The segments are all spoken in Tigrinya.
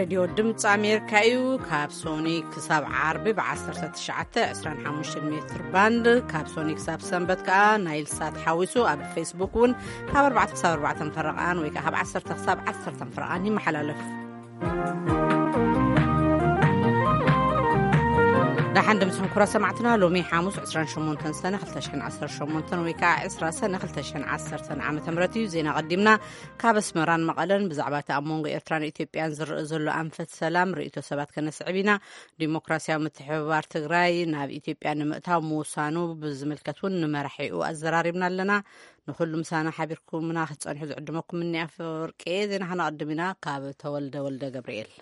ሬድዮ ድምፂ ኣሜሪካ እዩ። ካብ ሶኒ ክሳብ ዓርቢ ብ19፣ 25 ሜትር ባንድ፣ ካብ ሶኒ ክሳብ ሰንበት ከዓ ናይል ሳት ሓዊሱ፣ ኣብ ፌስቡክ እውን ካብ ኣርባዕተ ክሳብ ኣርባዕተ ፈረቓን ወይ ከዓ ካብ ዓሰርተ ክሳብ ዓሰርተ ፈረቓን ይመሓላለፍ። ደሓን ድምፅኹም ክቡራት ሰማዕትና፣ ሎሚ ሓሙስ ዕስራን ሸሞንተን ሰነ ክልተ ሽሕን ዓሰርተ ሸሞንተን ወይ ከዓ ዕስራ ሰነ ክልተ ሽሕን ዓሰርተን ዓመተ ምህረት እዩ። ዜና ቀዲምና ካብ ኣስመራን መቐለን ብዛዕባ እቲ ኣብ መንጎ ኤርትራን ኢትዮጵያን ዝረአ ዘሎ ኣንፈት ሰላም ርእይቶ ሰባት ከነስዕብ ኢና። ዲሞክራሲያዊ ምትሕብባር ትግራይ ናብ ኢትዮጵያ ንምእታው ምውሳኑ ብዝምልከት እውን ንመራሒኡ ኣዘራሪብና ኣለና። ንኹሉ ምሳና ሓቢርኩምና ክትጸንሑ ዝዕድመኩም እኒ ኣፈወርቂ። ዜና ከነቐድም ኢና ካብ ተወልደ ወልደ ገብርኤል።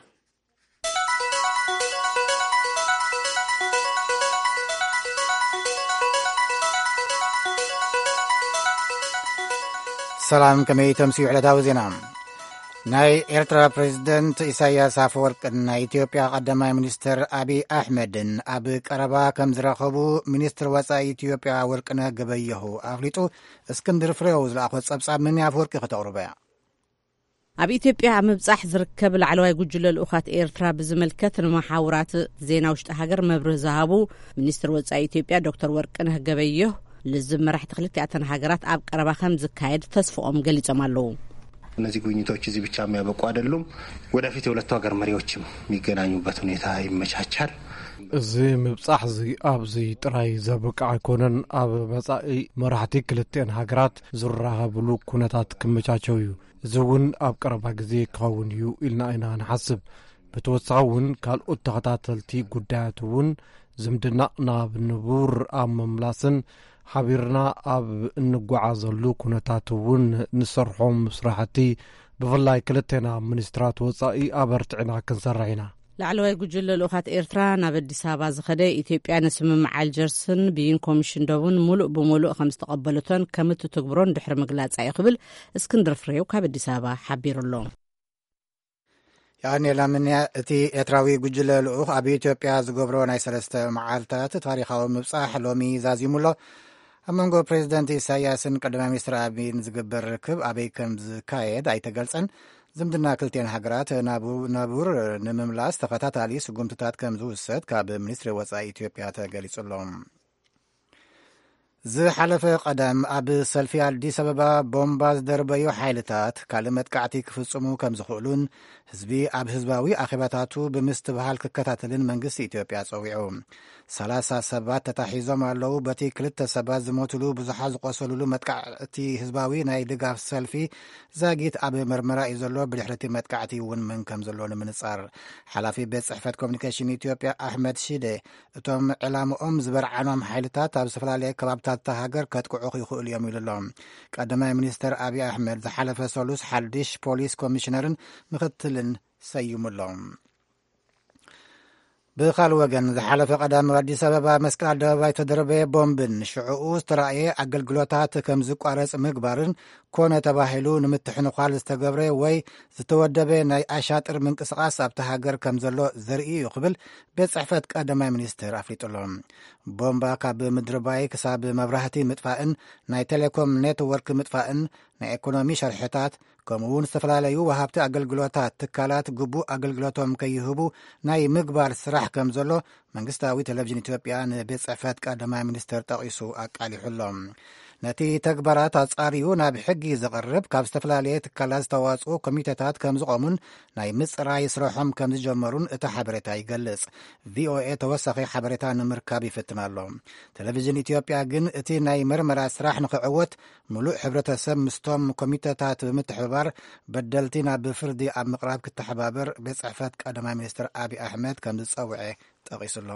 ሰላም፣ ከመይ ተምስዩ ዕለታዊ ዜና? ናይ ኤርትራ ፕሬዝደንት ኢሳያስ ኣፈወርቅን ናይ ኢትዮጵያ ቀዳማይ ሚኒስትር ኣቢይ ኣሕመድን ኣብ ቀረባ ከም ዝራኸቡ ሚኒስትር ወጻኢ ኢትዮጵያ ወርቅነህ ገበየሁ ኣፍሊጡ። እስክንድር ፍሬው ዝለኣኾ ጸብጻብ ምን ኣፈወርቂ ከተቕርቦ እያ። ኣብ ኢትዮጵያ ኣብ ምብጻሕ ዝርከብ ላዕለዋይ ጉጅለ ልኡኻት ኤርትራ ብዝምልከት ንመሓውራት ዜና ውሽጢ ሃገር መብርህ ዝሃቡ ሚኒስትር ወጻኢ ኢትዮጵያ ዶክተር ወርቅነህ ገበየሁ፣ ልዝብ መራሕቲ ክልቲኣተን ሃገራት ኣብ ቀረባ ከም ዝካየድ ተስፍኦም ገሊጾም ኣለዉ። እነዚህ ጉብኝቶች እዚህ ብቻ የሚያበቁ አይደሉም። ወደፊት የሁለቱ ሀገር መሪዎችም የሚገናኙበት ሁኔታ ይመቻቻል። እዚ ምብጻሕ እዚ ኣብዚ ጥራይ ዘብቅዕ ኣይኮነን። ኣብ መጻኢ መራሕቲ ክልቲአን ሃገራት ዝራኸብሉ ኩነታት ክመቻቸው እዩ። እዚ እውን ኣብ ቀረባ ግዜ ክኸውን እዩ ኢልና ኢና ንሓስብ። ብተወሳኺ እውን ካልኦት ተኸታተልቲ ጉዳያት እውን ዝምድና ናብ ንቡር ኣብ ምምላስን ሓቢርና ኣብ እንጓዓዘሉ ኩነታት እውን ንሰርሖም ስራሕቲ ብፍላይ ክልቴና ሚኒስትራት ወጻኢ ኣበርቲዕና ክንሰርሕ ኢና። ላዕለዋይ ጉጅለ ልኡኻት ኤርትራ ናብ ኣዲስ ኣበባ ዝኸደ ኢትዮጵያ ንስምምዕ ኣልጀርስን ብይን ኮሚሽን ደቡን ሙሉእ ብሙሉእ ከም ዝተቐበለቶን ከም እትትግብሮን ድሕሪ ምግላጻ እዩ ክብል እስክንድር ፍሬው ካብ ኣዲስ ኣበባ ሓቢሩ ኣሎ። የቐንየልና ምንያ። እቲ ኤርትራዊ ጉጅለ ልኡኽ ኣብ ኢትዮጵያ ዝገብሮ ናይ ሰለስተ መዓልታት ታሪኻዊ ምብጻሕ ሎሚ ዛዚሙ ኣሎ። ኣብ መንጎ ፕሬዚደንት ኢሳያስን ቀዳማይ ሚኒስትር ኣቢይን ዝግበር ርክብ ኣበይ ከም ዝካየድ ኣይተገልጸን። ዝምድና ክልቲኤን ሃገራት ናቡር ንምምላስ ተኸታታሊ ስጉምትታት ከም ዝውሰድ ካብ ሚኒስትሪ ወጻኢ ኢትዮጵያ ተገሊጹ ኣሎ። ዝሓለፈ ቀዳም ኣብ ሰልፊ ኣዲስ ኣበባ ቦምባ ዝደርበዩ ሓይልታት ካልእ መጥቃዕቲ ክፍጽሙ ከም ዝኽእሉን ህዝቢ ኣብ ህዝባዊ ኣኼባታቱ ብምስትብሃል ክከታተልን መንግስቲ ኢትዮጵያ ጸዊዑ። ሰላሳ ሰባት ተታሒዞም ኣለዉ። በቲ ክልተ ሰባት ዝሞትሉ ብዙሓት ዝቆሰሉሉ መጥቃዕቲ ህዝባዊ ናይ ድጋፍ ሰልፊ ዛጊት ኣብ መርመራ እዩ ዘሎ። ብድሕሪ እቲ መጥቃዕቲ እውን መን ከም ዘሎ ንምንጻር ሓላፊ ቤት ጽሕፈት ኮሚኒኬሽን ኢትዮጵያ ኣሕመድ ሺዴ እቶም ዕላምኦም ዝበርዓኖም ሓይልታት ኣብ ዝተፈላለየ ከባብታት እታ ሃገር ከጥቅዑ ይኽእሉ እዮም ኢሉ ኣሎ። ቀዳማይ ሚኒስትር ኣብይ ኣሕመድ ዝሓለፈ ሰሉስ ሓድሽ ፖሊስ ኮሚሽነርን ምኽትልን ሰይሙ ኣሎ። ብኻልእ ወገን ዝሓለፈ ቀዳም ኣብ ኣዲስ ኣበባ መስቀል ኣደባባይ ተደረበየ ቦምብን ሽዕኡ ዝተራእየ ኣገልግሎታት ከም ዝቋረጽ ምግባርን ኮነ ተባሂሉ ንምትሕንዃል ዝተገብረ ወይ ዝተወደበ ናይ ኣሻጥር ምንቅስቓስ ኣብቲ ሃገር ከም ዘሎ ዘርኢ እዩ ክብል ቤት ጽሕፈት ቀዳማይ ሚኒስትር ኣፍሊጡ ኣሎ። ቦምባ ካብ ምድሪ ባይ ክሳብ መብራህቲ ምጥፋእን ናይ ቴሌኮም ኔትወርክ ምጥፋእን ናይ ኢኮኖሚ ሸርሕታት ከምኡ እውን ዝተፈላለዩ ወሃብቲ ኣገልግሎታት ትካላት ግቡእ ኣገልግሎቶም ከይህቡ ናይ ምግባር ስራሕ ከም ዘሎ መንግስታዊ ቴሌቪዥን ኢትዮጵያ ንቤት ጽሕፈት ቀዳማይ ሚኒስትር ጠቒሱ ኣቃሊሑ ኣሎ። ነቲ ተግባራት ኣጻርዩ ናብ ሕጊ ዘቕርብ ካብ ዝተፈላለየ ትካላት ዝተዋጽኡ ኮሚቴታት ከም ዝቖሙን ናይ ምጽራይ ስራሖም ከም ዝጀመሩን እቲ ሓበሬታ ይገልጽ። ቪኦኤ ተወሳኺ ሓበሬታ ንምርካብ ይፍትን ኣሎ። ቴሌቪዥን ኢትዮጵያ ግን እቲ ናይ መርመራ ስራሕ ንኽዕወት ምሉእ ሕብረተሰብ ምስቶም ኮሚቴታት ብምትሕብባር በደልቲ ናብ ፍርዲ ኣብ ምቕራብ ክተሓባበር ቤት ጽሕፈት ቀዳማይ ሚኒስትር ኣብይ ኣሕመድ ከም ዝጸውዐ ጠቒሱ ኣሎ።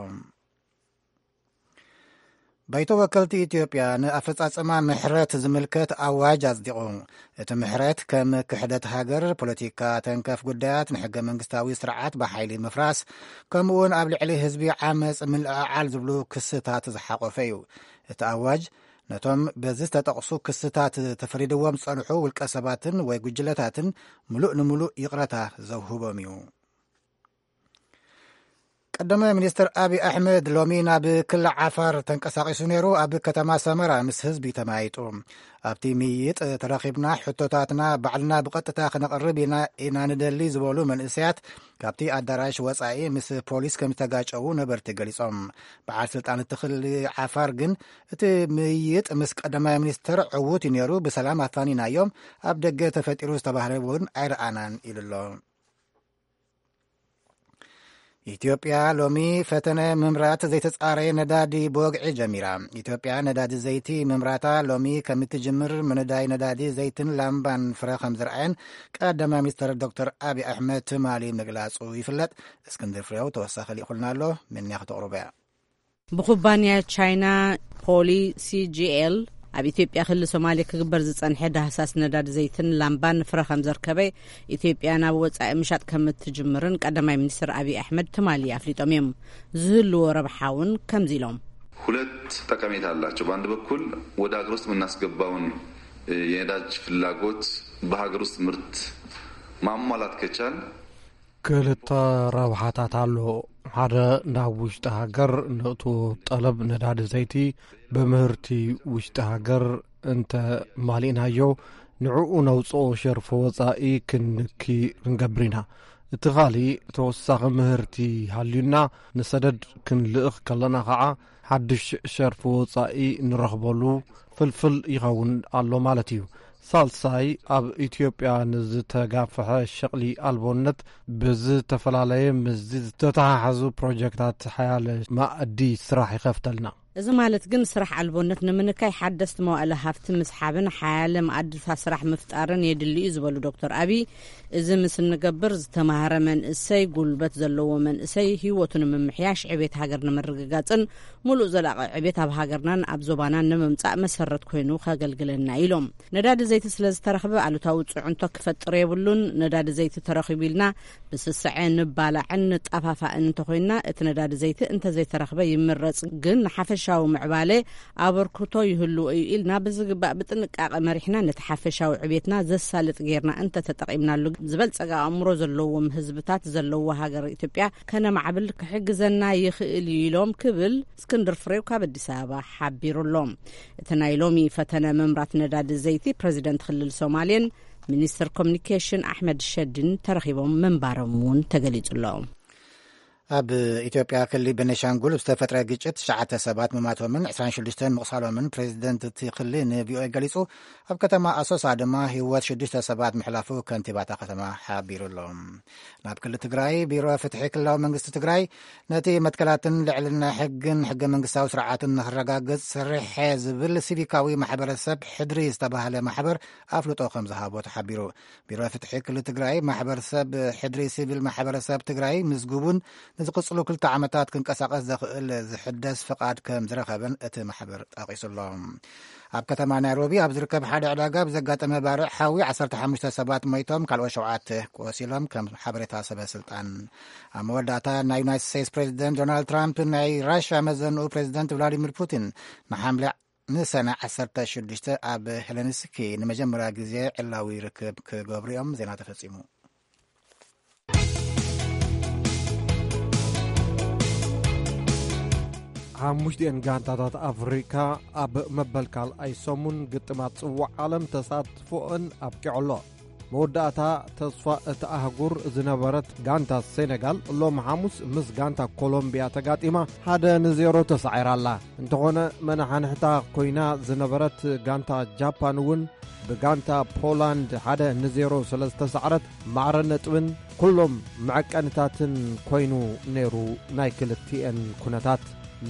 ባይቶ ወከልቲ ኢትዮጵያ ንኣፈጻጽማ ምሕረት ዝምልከት ኣዋጅ ኣጽዲቑ። እቲ ምሕረት ከም ክሕደት ሃገር፣ ፖለቲካ ተንከፍ ጉዳያት፣ ንሕገ መንግስታዊ ስርዓት ብሓይሊ ምፍራስ፣ ከምኡውን ኣብ ልዕሊ ህዝቢ ዓመጽ ምልዕዓል ዝብሉ ክስታት ዝሓቖፈ እዩ። እቲ ኣዋጅ ነቶም በዚ ዝተጠቕሱ ክስታት ተፈሪድዎም ዝጸንሑ ውልቀ ሰባትን ወይ ጉጅለታትን ምሉእ ንምሉእ ይቕረታ ዘውህቦም እዩ። ቀዳማይ ሚኒስትር ኣብይ ኣሕመድ ሎሚ ናብ ክልል ዓፋር ተንቀሳቒሱ ነይሩ። ኣብ ከተማ ሰመራ ምስ ህዝቢ ተመያይጡ። ኣብቲ ምይይጥ ተረኺብና፣ ሕቶታትና ባዕልና ብቐጥታ ክነቕርብ ኢና፣ ኢና ንደሊ ዝበሉ መንእሰያት ካብቲ ኣዳራሽ ወጻኢ ምስ ፖሊስ ከም ዝተጋጨዉ ነበርቲ ገሊጾም። በዓል ስልጣን እቲ ክልል ዓፋር ግን እቲ ምይይጥ ምስ ቀዳማይ ሚኒስትር ዕዉት እዩ ነይሩ፣ ብሰላም ኣፋኒናዮም፣ ኣብ ደገ ተፈጢሩ ዝተባህለ እውን ኣይረኣናን ኢሉ ኣሎ። ኢትዮጵያ ሎሚ ፈተነ ምምራት ዘይተጻረየ ነዳዲ ብወግዒ ጀሚራ። ኢትዮጵያ ነዳዲ ዘይቲ ምምራታ ሎሚ ከም እትጅምር፣ ምንዳይ ነዳዲ ዘይትን ላምባን ፍረ ከም ዝረኣየን ቀዳማይ ሚኒስትር ዶክተር ኣብይ ኣሕመድ ትማሊ ምግላጹ ይፍለጥ። እስክንድር ፍሬው ተወሳኺ ልኢኹልና ኣሎ፣ ምንያ ከተቕርቦ እያ። ብኩባንያ ቻይና ፖሊ ሲጂኤል ኣብ ኢትዮጵያ ክልል ሶማሌ ክግበር ዝጸንሐ ዳህሳስ ነዳዲ ዘይትን ላምባን ፍረ ከም ዘርከበ፣ ኢትዮጵያ ናብ ወጻኢ ምሻጥ ከም እትጅምርን ቀዳማይ ሚኒስትር ኣብይ ኣሕመድ ትማሊ ኣፍሊጦም እዮም። ዝህልዎ ረብሓ እውን ከምዚ ኢሎም። ሁለት ጠቀሜታ አላቸው። በአንድ በኩል ወደ ሀገር ውስጥ የምናስገባውን የነዳጅ ፍላጎት በሀገር ውስጥ ምርት ማሟላት ከቻል፣ ክልተ ረብሓታት ኣሎ። ሓደ፣ ናብ ውሽጢ ሃገር ነእቱ ጠለብ ነዳዲ ዘይቲ ብምህርቲ ውሽጢ ሃገር እንተ ማሊእናዮ፣ ንዕኡ ነውፅኦ ሸርፎ ወፃኢ ክንንኪ ክንገብር ኢና። እቲ ካሊእ፣ ተወሳኺ ምህርቲ ሃልዩና ንሰደድ ክንልእኽ ከለና ከዓ ሓድሽ ሸርፊ ወጻኢ ንረኽበሉ ፍልፍል ይኸውን ኣሎ ማለት እዩ። ሳልሳይ፣ ኣብ ኢትዮጵያ ንዝተጋፍሐ ሸቕሊ ኣልቦነት ብዝተፈላለየ ምስዚ ዝተተሓሓዙ ፕሮጀክታት ሓያለ ማእዲ ስራሕ ይኸፍተልና። እዚ ማለት ግን ስራሕ ኣልቦነት ንምንካይ ሓደስቲ መዋእለ ሃፍቲ ምስሓብን ሓያለ ማእድታት ስራሕ ምፍጣርን የድሊ እዩ ዝበሉ ዶክተር ኣብይ፣ እዚ ምስ እንገብር ዝተማህረ መንእሰይ፣ ጉልበት ዘለዎ መንእሰይ ህይወቱ ንምምሕያሽ፣ ዕቤት ሃገር ንምርግጋጽን ምሉእ ዘላቒ ዕቤት ኣብ ሃገርናን ኣብ ዞባናን ንምምጻእ መሰረት ኮይኑ ከገልግለና ኢሎም። ነዳዲ ዘይቲ ስለ ዝተረኽበ ኣሉታዊ ጽዕንቶ ክፈጥር የብሉን። ነዳዲ ዘይቲ ተረኺቡ ኢልና ብስስዐ ንባላዕን ንጣፋፋእን እንተኾይንና፣ እቲ ነዳዲ ዘይቲ እንተዘይተረኽበ ይምረጽ፣ ግን ንሓፈሻዊ ምዕባለ ኣበርክቶ ይህልዎ እዩ ኢልና ብዝግባእ ብጥንቃቐ መሪሕና ነቲ ሓፈሻዊ ዕቤትና ዘሳልጥ ጌርና እንተተጠቒምናሉ፣ ዝበልጸገ ኣእምሮ ዘለዎም ህዝብታት ዘለዎ ሃገር ኢትዮጵያ ከነማዕብል ክሕግዘና ይኽእል እዩ ኢሎም ክብል እስክንድር ፍሬው ካብ ኣዲስ ኣበባ ሓቢሩ ኣሎ። እቲ ናይ ሎሚ ፈተነ ምምራት ነዳዲ ዘይቲ ፕረዚደንት ክልል ሶማሌን ሚኒስትር ኮሚኒኬሽን ኣሕመድ ሸዲን ተረኺቦም ምንባሮም እውን ተገሊጹ ኣሎ። ኣብ ኢትዮጵያ ክልል ቤኒሻንጉል ዝተፈጥረ ግጭት ትሽዓተ ሰባት ምማቶምን ዕስራን ሽዱሽተን ምቑሳሎምን ፕሬዚደንት እቲ ክልል ንቪኦኤ ገሊጹ። ኣብ ከተማ ኣሶሳ ድማ ህይወት ሽዱሽተ ሰባት ምሕላፉ ከንቲባ እታ ከተማ ሓቢሩ ኣሎ። ናብ ክልል ትግራይ፣ ቢሮ ፍትሒ ክልላዊ መንግስቲ ትግራይ ነቲ መትከላትን ልዕልና ሕግን ሕገ መንግስታዊ ስርዓትን ንክረጋግጽ ሰሪሐ ዝብል ሲቪካዊ ማሕበረሰብ ሕድሪ ዝተባህለ ማሕበር ኣፍልጦ ከም ዝሃቦ ተሓቢሩ። ቢሮ ፍትሒ ክልል ትግራይ፣ ማሕበረሰብ ሕድሪ ሲቪል ማሕበረሰብ ትግራይ ምዝጉቡን ንዝቕጽሉ ክልተ ዓመታት ክንቀሳቐስ ዘኽእል ዝሕደስ ፍቓድ ከም ዝረኸበን እቲ ማሕበር ጠቒሱ ኣሎ። ኣብ ከተማ ናይሮቢ ኣብ ዝርከብ ሓደ ዕዳጋ ብዘጋጠመ ባርዕ ሓዊ ዓሰርተ ሓሙሽተ ሰባት ሞይቶም፣ ካልኦት ሸውዓተ ቆሲሎም፣ ከም ሓበሬታ ሰበ ስልጣን። ኣብ መወዳእታ፣ ናይ ዩናይትድ ስቴትስ ፕሬዚደንት ዶናልድ ትራምፕ ናይ ራሽያ መዘንኡ ፕሬዚደንት ቭላዲሚር ፑቲን ንሓምለ ንሰነ ዓሰርተ ሽዱሽተ ኣብ ሄለንስኪ ንመጀመርያ ግዜ ዕላዊ ርክብ ክገብሩ እዮም። ዜና ተፈጺሙ። ሓሙሽቲኤን ጋንታታት ኣፍሪካ ኣብ መበል ካልኣይ ሰሙን ግጥማት ጽዋዕ ዓለም ተሳትፎአን ኣብቂዑ ኣሎ። መወዳእታ ተስፋ እቲ ኣህጉር ዝነበረት ጋንታ ሴኔጋል ሎም ሓሙስ ምስ ጋንታ ኮሎምቢያ ተጋጢማ ሓደ ንዜሮ ተሳዒራ ኣላ። እንተኾነ መነሓንሕታ ኮይና ዝነበረት ጋንታ ጃፓን እውን ብጋንታ ፖላንድ ሓደ ንዜሮ ስለ ዝተሳዕረት ማዕረ ነጥብን ኩሎም መዐቀንታትን ኮይኑ ነይሩ። ናይ ክልቲኤን ኩነታት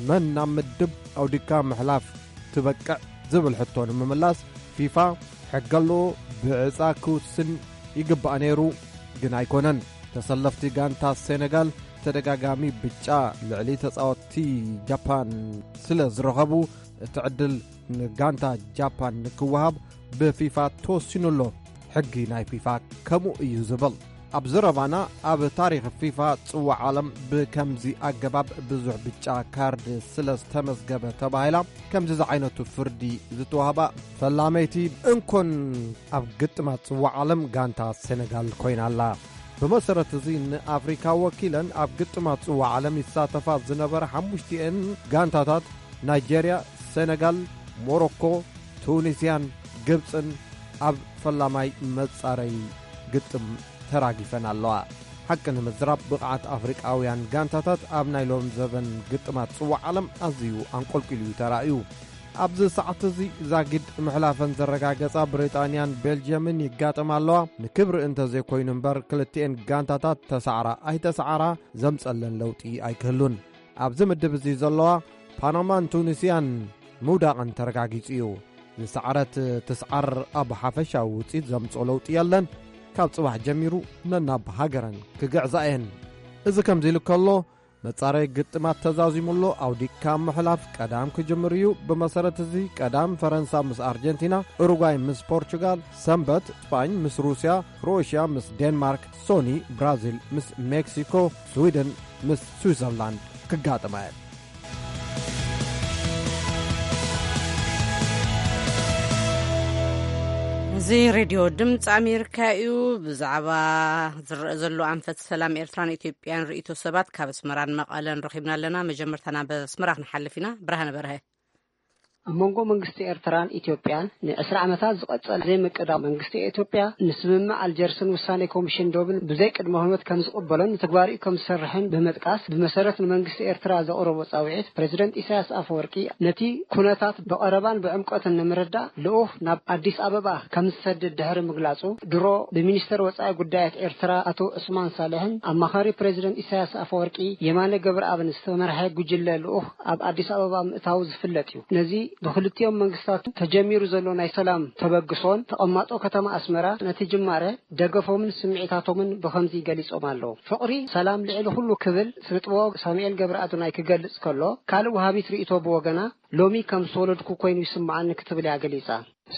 መን ናብ ምድብ ኣውዲካ ምሕላፍ ትበቅዕ ዝብል ሕቶ ንምምላስ ፊፋ ሕገ ኣለዎ፣ ብዕጻ ክውስን ይግባእ ነይሩ፣ ግን ኣይኮነን። ተሰለፍቲ ጋንታ ሴኔጋል ተደጋጋሚ ብጫ ልዕሊ ተጻወትቲ ጃፓን ስለ ዝረኸቡ እቲ ዕድል ንጋንታ ጃፓን ንክወሃብ ብፊፋ ተወሲኑ ኣሎ። ሕጊ ናይ ፊፋ ከምኡ እዩ ዝብል። ኣብ ዘረባና ኣብ ታሪኽ ፊፋ ጽዋዕ ዓለም ብከምዚ ኣገባብ ብዙሕ ብጫ ካርድ ስለ ዝተመዝገበ ተባሂላ ከምዚ ዝዓይነቱ ፍርዲ ዝተዋህባ ፈላመይቲ እንኮን ኣብ ግጥማት ጽዋዕ ዓለም ጋንታ ሴነጋል ኮይና ኣላ። ብመሰረት እዚ ንኣፍሪካ ወኪለን ኣብ ግጥማት ጽዋዕ ዓለም ይሳተፋ ዝነበረ ሓሙሽቲኤን ጋንታታት ናይጀርያ፣ ሴነጋል፣ ሞሮኮ፣ ቱኒስያን ግብጽን ኣብ ፈላማይ መጻረይ ግጥም ተራጊፈን ኣለዋ። ሓቂ ንምዝራብ ብቕዓት ኣፍሪቃውያን ጋንታታት ኣብ ናይ ሎም ዘበን ግጥማት ጽዋዕ ዓለም ኣዝዩ ኣንቆልቂሉ እዩ ተራእዩ። ኣብዚ ሰዓት እዚ ዛጊድ ምሕላፈን ዘረጋገጻ ብሪጣንያን ቤልጅየምን ይጋጠማ ኣለዋ። ንክብሪ እንተዘይኮይኑ እምበር ክልቲኤን ጋንታታት ተሳዕራ ኣይተሳዕራ ዘምጸለን ለውጢ ኣይክህሉን። ኣብዚ ምድብ እዚ ዘለዋ ፓናማን ቱኒስያን ምውዳቐን ተረጋጊጹ እዩ። ዝሰዓረት ትስዓር ኣብ ሓፈሻዊ ውጽኢት ዘምጽኦ ለውጢ የለን። ካብ ጽባሕ ጀሚሩ ነናብ ሃገረን ክግዕዛ እየን። እዚ ከምዚ ኢሉ ከሎ መጻረይ ግጥማት ተዛዚሙ ኣሎ። ኣውዲካ ምሕላፍ ቀዳም ክጅምር እዩ። ብመሰረት እዚ ቀዳም ፈረንሳ ምስ ኣርጀንቲና፣ ኡሩጓይ ምስ ፖርቹጋል፣ ሰንበት ስፓኝ ምስ ሩስያ፣ ክሮኤሽያ ምስ ዴንማርክ፣ ሶኒ ብራዚል ምስ ሜክሲኮ፣ ስዊድን ምስ ስዊዘርላንድ ክጋጥማ እየን። እዚ ሬድዮ ድምፂ ኣሜሪካ እዩ። ብዛዕባ ዝረአ ዘሎ ኣንፈት ሰላም ኤርትራን ኢትዮጵያን ርእይቶ ሰባት ካብ ኣስመራን መቐለን ረኺብና ኣለና። መጀመርታ ናብ ኣስመራ ክንሓልፍ ኢና። ብርሃነ በርሀ። ኣብ መንጎ መንግስቲ ኤርትራን ኢትዮጵያን ንዕስራ ዓመታት ዝቐጸለ ዘይምቅዳው መንግስቲ ኢትዮጵያ ንስምምዕ ኣልጀርስን ውሳኔ ኮሚሽን ዶብን ብዘይ ቅድመ ኩነት ከም ዝቕበሎን ንትግባሪኡ ከም ዝሰርሕን ብምጥቃስ፣ ብመሰረት ንመንግስቲ ኤርትራ ዘቕረቦ ጻውዒት፣ ፕሬዚደንት ኢሳያስ ኣፈወርቂ ነቲ ኩነታት ብቐረባን ብዕምቆትን ንምርዳእ ልኡኽ ናብ ኣዲስ ኣበባ ከም ዝሰድድ ድሕሪ ምግላጹ፣ ድሮ ብሚኒስተር ወጻኢ ጉዳያት ኤርትራ ኣቶ ዑስማን ሳልሕን ኣማኻሪ ፕሬዚደንት ኢሳያስ ኣፈወርቂ የማነ ገብረኣብን ዝተመርሐ ጉጅለ ልኡኽ ኣብ ኣዲስ ኣበባ ምእታው ዝፍለጥ እዩ። ነዚ ብክልቲኦም መንግስታት ተጀሚሩ ዘሎ ናይ ሰላም ተበግሶን ተቐማጦ ከተማ ኣስመራ ነቲ ጅማረ ደገፎምን ስምዒታቶምን ብኸምዚ ገሊጾም ኣለዉ። ፍቕሪ ሰላም ልዕሊ ኩሉ ክብል ስነጥበባዊ ሳሙኤል ገብረኣዶናይ ክገልጽ ከሎ፣ ካልእ ወሃቢት ርእይቶ ብወገና፣ ሎሚ ከም ዝተወለድኩ ኮይኑ ይስምዓኒ ክትብል እያ ገሊጻ።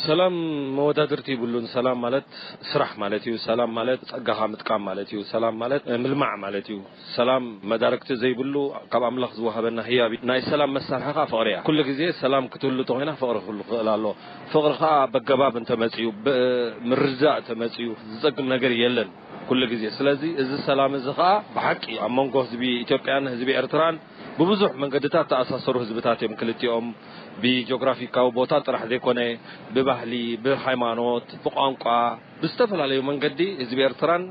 ሰላም መወዳድርቲ ይብሉን። ሰላም ማለት ስራሕ ማለት እዩ። ሰላም ማለት ጸጋኻ ምጥቃም ማለት እዩ። ሰላም ማለት ምልማዕ ማለት እዩ። ሰላም መዳርግቲ ዘይብሉ ካብ ኣምላኽ ዝወሃበና ህያብ እዩ። ናይ ሰላም መሳርሒ ኸኣ ፍቕሪ እያ። ኩሉ ግዜ ሰላም ክትህሉ እንተኾይና ፍቕሪ ክህሉ ክኽእል ኣለዎ። ፍቕሪ ኸኣ በገባብ እንተመጽዩ፣ ብምርድዳእ እንተመጽዩ ዝጸግም ነገር የለን ኩሉ ግዜ። ስለዚ እዚ ሰላም እዚ ኸኣ ብሓቂ ኣብ መንጎ ህዝቢ ኢትዮጵያን ህዝቢ ኤርትራን ብብዙሕ መንገድታት ተኣሳሰሩ ህዝብታት እዮም ክልቲኦም። ብጂኦግራፊካዊ ቦታ ጥራሕ ዘይኮነ ብባህሊ፣ ብሃይማኖት፣ ብቋንቋ፣ ብዝተፈላለዩ መንገዲ ህዝቢ ኤርትራን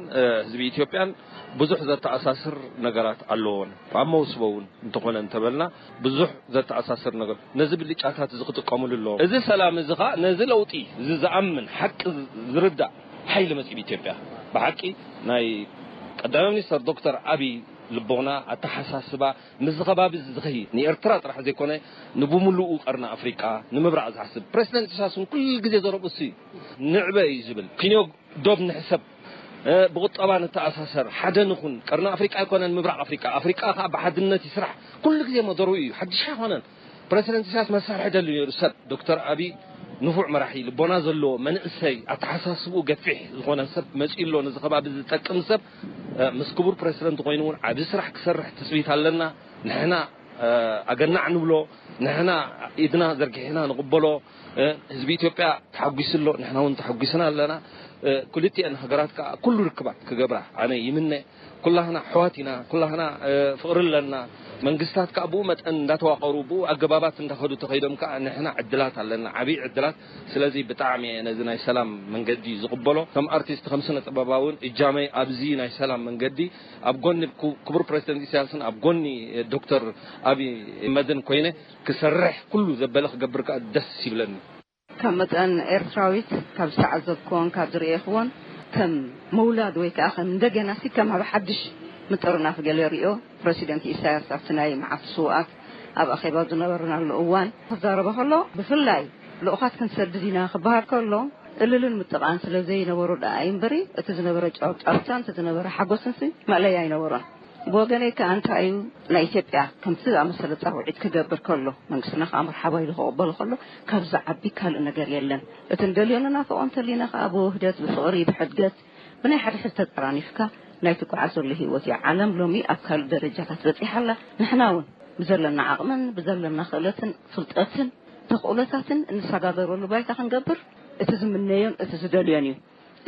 ህዝቢ ኢትዮጵያን ብዙሕ ዘተኣሳስር ነገራት ኣለዎን። ኣብ መውስቦ እውን እንተኾነ እንተበልና ብዙሕ ዘተኣሳስር ነገር፣ ነዚ ብልጫታት እዚ ክጥቀምሉ ኣለዎም። እዚ ሰላም እዚ ኸዓ ነዚ ለውጢ እዚ ዝኣምን ሓቂ ዝርዳእ ሓይሊ መፅኡ ኢትዮጵያ። ብሓቂ ናይ ቀዳማይ ሚኒስተር ዶክተር ኣብይ ልቦና፣ ኣተሓሳስባ፣ ምስዚ ከባቢ እዚ ዝኸይድ ንኤርትራ ጥራሕ ዘይኮነ ንብምሉኡ ቀርኒ ኣፍሪቃ ንምብራቕ ዝሓስብ ፕረሲደንት ኢሳያስ እውን ኩሉ ግዜ ዘረብኡ እሱ እዩ። ንዕበ እዩ ዝብል። ክንዮ ዶብ ንሕሰብ፣ ብቁጠባ ንተኣሳሰር፣ ሓደ ንኹን። ቀርኒ ኣፍሪቃ ኣይኮነን ምብራቕ ኣፍሪቃ፣ ኣፍሪቃ ከዓ ብሓድነት ይስራሕ። ኩሉ ግዜ መደርኡ እዩ፣ ሓድሽ ኣይኮነን። ፕረሲደንት ኢሳያስ መሳርሒ ደልዩ ነይሩ ሰብ። ዶክተር ኣብይ ንፉዕ መራሒ፣ ልቦና ዘለዎ መንእሰይ፣ ኣተሓሳስብኡ ገፊሕ ዝኾነ ሰብ መፂኡ ኣሎ። ነዚ ከባቢ ዝጠቅም ሰብ ምስ ክቡር ፕረሲደንት ኮይኑ እውን ዓብዪ ስራሕ ክሰርሕ ትፅቢት ኣለና። ንሕና ኣገናዕ ንብሎ፣ ንሕና ኢድና ዘርጊሕና ንቕበሎ። ህዝቢ ኢትዮጵያ ተሓጒሱ ኣሎ፣ ንሕና እውን ተሓጒስና ኣለና። ክልቲኤን ሃገራት ከዓ ኩሉ ርክባት ክገብራ ኣነ ይምነ። ኩላህና ኣሕዋት ኢና፣ ኩላህና ፍቕሪ ኣለና። መንግስታት ከዓ ብኡ መጠን እንዳተዋቐሩ ብኡ ኣገባባት እንዳኸዱ ተኸይዶም ከዓ ንሕና ዕድላት ኣለና፣ ዓብዪ ዕድላት። ስለዚ ብጣዕሚ እየ ነዚ ናይ ሰላም መንገዲ ዝቕበሎ። ከም ኣርቲስት ከም ስነ ጥበባውን እጃመይ ኣብዚ ናይ ሰላም መንገዲ ኣብ ጎኒ ክቡር ፕረዚደንት ኢሳያስን ኣብ ጎኒ ዶክተር ኣብይ ኣሕመድን ኮይነ ክሰርሕ ኩሉ ዘበለ ክገብር ከዓ ደስ ይብለኒ። ካብ መጠን ኤርትራዊት ካብ ዝተዓዘብክዎን ካብ ዝርእየክዎን ከም ምውላድ ወይ ከዓ ከም እንደገና ሲ ከም ኣብ ሓድሽ ምጥርናፍ ገለ ሪኦ ፕረሲደንት ኢሳያስ ኣብቲ ናይ መዓልቲ ስውኣት ኣብ ኣኼባ ዝነበርናሉ እዋን ክዛረበ ከሎ ብፍላይ ልኡኻት ክንሰድድ ኢና ክበሃል ከሎ እልልን ምጥቓን ስለ ዘይነበሮ ደኣ እዩ እምበሪ እቲ ዝነበረ ጫውጫውታን እቲ ዝነበረ ሓጎስን ሲ መእለያ ኣይነበሮን። ብወገነይ ከኣ እንታይ እዩ ናይ ኢትዮጵያ ከምቲ ዝኣመሰለ ጻውዒት ክገብር ከሎ መንግስትና ከኣ መርሓባ ኢሉ ክቕበሎ ከሎ ካብ ዝዓቢ ካልእ ነገር የለን። እቲ እንደልዮ ንናፍቖ እንተሊና ከኣ ብውህደት ብፍቕሪ ብሕድገት ብናይ ሓደ ሕድ ተጠራኒፍካ ናይ ትጓዓዘሉ ህይወት እዩ። ዓለም ሎሚ ኣብ ካልእ ደረጃታት በጺሓ ኣላ። ንሕና እውን ብዘለና ዓቕምን ብዘለና ክእለትን ፍልጠትን ተኽእሎታትን እንሰጋገረሉ ባይታ ክንገብር እቲ ዝምነዮን እቲ ዝደልዮን እዩ።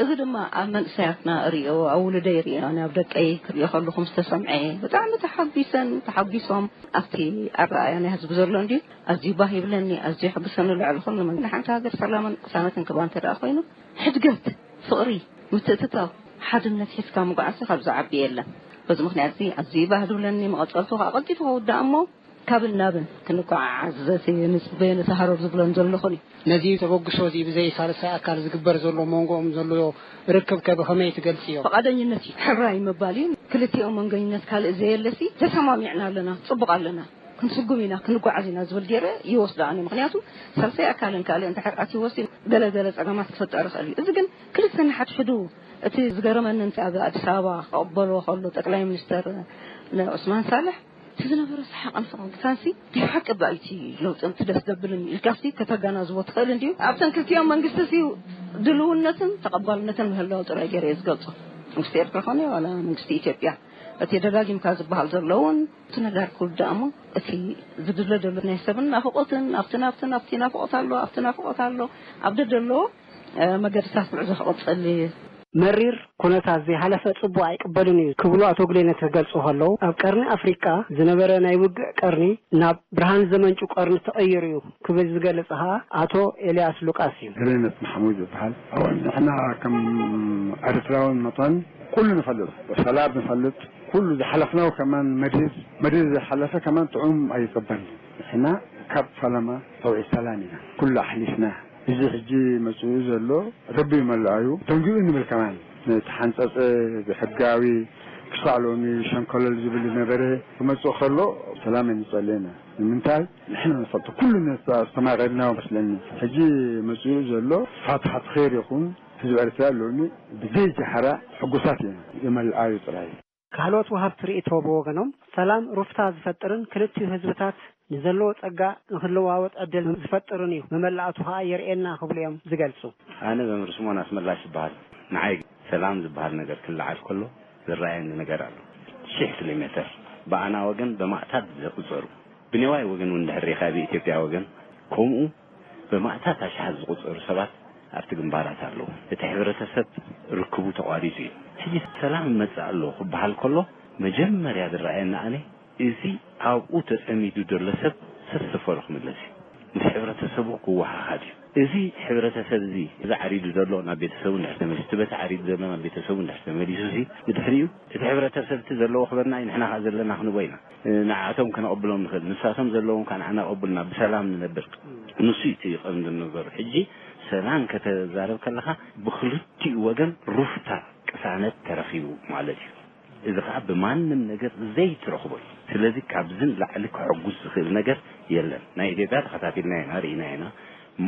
እዚ ድማ ኣብ መንእሰያትና እሪኦ፣ ኣብ ውሉደይ እሪኦ፣ ኣብ ደቀይ ክሪኦ ከለኹ ምስ ተሰምዐ ብጣዕሚ ተሓጒሰን ተሓጒሶም። ኣብቲ ኣረኣእያ ናይ ህዝቢ ዘሎ እንድዩ ኣዝዩ ባህ ይብለኒ፣ ኣዝዩ የሐጉሰኒ። ልዕሊ ኩሉ ንሓንቲ ሃገር ሰላምን ቅሳነትን ክባ እንተ ደኣ ኮይኑ ሕድገት፣ ፍቕሪ፣ ምትእትታው፣ ሓድነት ሒዝካ ምጉዓዝ ካብ ዝዓቢ የለን። በዚ ምኽንያት እዚ ኣዝዩ ባህ ዝብለኒ፣ መቐጸልቱ ከዓ ቀልጢፉ ክውዳእ እሞ ካብን ናብን ክንጓዓዓዝ ዘቲ ንጽበዮ ንተሃረብ ዝብለን ዘለኹን እዩ። ነዚ ተበግሶ እዚ ብዘይ ሳልሳይ ኣካል ዝግበር ዘሎ መንጎኦም ዘሎ ርክብ ከ ብኸመይ ትገልጽዮ? ፈቓደኝነት እዩ። ሕራይ ምባል እዩ። ክልቲኦም መንገኝነት ካልእ ዘየለሲ ተሰማሚዕና ኣለና፣ ጽቡቕ ኣለና፣ ክንስጉም ኢና፣ ክንጓዓዝ ኢና ዝብል ገይረ ይወስዶ ኣነ። ምኽንያቱ ሳልሳይ ኣካልን ካልእ እንድሕር ኣትይዎሲ ገለ ገለ ጸገማት ክፍጠር ይኽእል እዩ። እዚ ግን ክልተ ንሓድሕዱ እቲ ዝገረመኒ እንተ ኣብ ኣዲስ ኣበባ ክቕበልዎ ከሎ ጠቅላይ ሚኒስተር ንዑስማን ሳልሕ እቲ ዝነበረ ሰሓቕን ፈገግታንሲ ናይ ብሓቂ ባይቲ ለውጥን እቲ ደስ ዘብልን ኢልካሲ ከተጋናዝቦ ትኽእል እንድዩ። ኣብተን ክልቲኦም መንግስቲሲ ድልውነትን ተቐባልነትን ምህላው ጥራይ ገይረ እየ ዝገልጾ። መንግስቲ ኤርትራ ኮነ ዋላ መንግስቲ ኢትዮጵያ እቲ ደጋጊምካ ዝበሃል ዘሎ እውን እቲ ነጋር ክውዳእ እሞ እቲ ዝድለ ዘሎ ናይ ሰብን ናፍቖትን ኣብቲ ናብቲ ናፍቆት ኣሎ ኣብቲ ናፍቆት ኣሎ ኣብ ደደሎ መገድታት ጉዕዞ ክቕጽል እዩ። መሪር ኩነታት ዘይሓለፈ ጽቡቕ ኣይቅበልን እዩ ክብሉ ኣቶ ግሌነት ክገልጹ ከለዉ፣ ኣብ ቀርኒ ኣፍሪቃ ዝነበረ ናይ ውግእ ቀርኒ ናብ ብርሃን ዘመንጩ ቀርኒ ተቐይሩ እዩ ክብል ዝገልጽ ኸኣ ኣቶ ኤልያስ ሉቃስ እዩ። ግሌነት ማሕሙድ ዝበሃል። ኣወ፣ ንሕና ከም ኤርትራውን መጠን ኩሉ ንፈልጥ፣ ሰላም ንፈልጥ፣ ኩሉ ዝሓለፍናው ከማን መዲር፣ መዲር ዝሓለፈ ከማን ጥዑም ኣይቅበልን። ንሕና ካብ ፈለማ ተውዒ ሰላም ኢና ኩሉ ኣሕሊፍና። እዚ ሕጂ መጽኡ ዘሎ ረቢ ይመልኣዩ። ደንጊኡ ንብል ከማን። ነቲ ሓንጸጸ ብሕጋዊ ክሳዕ ሎሚ ሸንኮለል ዝብል ዝነበረ ክመጽእ ከሎ ሰላም ንጸሊ ኢና። ንምንታይ? ንሕና ንፈልጦ። ኩሉ ነቲ ኣስተማቒርና መስለኒ። ሕጂ መጽኡ ዘሎ ፋትሓት ኸይር ይኹን። ህዝቢ ኤርትራ ሎሚ ብዘይ ጃሕራ ሕጉሳት ኢና። ይመልኣዩ ጥራይ። ካልኦት ወሃብቲ ርእይቶ ብወገኖም፣ ሰላም ሩፍታ ዝፈጥርን ክልቲኡ ህዝብታት ንዘለዎ ጸጋ ንኽልዋወጥ ዕድል ዝፈጥርን እዩ፣ መመላእቱ ኸኣ የርእየና ክብሉ እዮም ዝገልጹ። ኣነ መምህር ስምኦን ኣስመላሽ ይበሃል። ንዓይ ሰላም ዝበሃል ነገር ክለዓል ከሎ ዝረኣየኒ ነገር ኣሎ። ሽሕ ኪሎ ሜተር ብኣና ወገን ብማእታት ዝቑጸሩ፣ ብኔዋይ ወገን እውን ድሕር ሪኻ ብኢትዮጵያ ወገን ከምኡ ብማእታት ኣሽሓት ዝቑጸሩ ሰባት ኣብቲ ግንባራት ኣለዉ። እቲ ሕብረተሰብ ርክቡ ተቋሪጹ እዩ። ሕጂ ሰላም ይመጽእ ኣሎ ክበሃል ከሎ መጀመርያ ዝረኣየኒ ኣነ እዚ ኣብኡ ተጸሚዱ ዘሎ ሰብ ሰሰፈሩ ክምለስ እዩ። ምስ ሕብረተሰቡ ክወሃሃድ እዩ። እዚ ሕብረተሰብ እዚ፣ እዚ ዓሪዱ ዘሎ ናብ ቤተሰቡ እንድሕር ተመሊሱ፣ እቲ በቲ ዓሪዱ ዘሎ ናብ ቤተሰቡ እንድሕር ተመሊሱ፣ እዚ ብድሕሪኡ እቲ ሕብረተሰብ እቲ ዘለዎ ክበና እዩ፣ ንሕና ከኣ ዘለና ክንቦ ኢና። ንዓቶም ከነቐብሎም ንኽእል፣ ንሳቶም ዘለዎም ከኣ ንዓና ቀብሉና፣ ብሰላም ንነብር። ንሱ እዩ እቲ ቀንዲ ነገሩ። ሕጂ ሰላም ከተዛረብ ከለኻ ብክልቲኡ ወገን ሩፍታ ቅሳነት ተረኺቡ ማለት እዩ። እዚ ኸዓ ብማንም ነገር ዘይትረኽቦ እዩ። ስለዚ ካብዚ ንላዕሊ ከሐጉስ ዝኽእል ነገር የለን። ናይ ኢትዮጵያ ተኸታቲልና ኢና፣ ርኢና ኢና።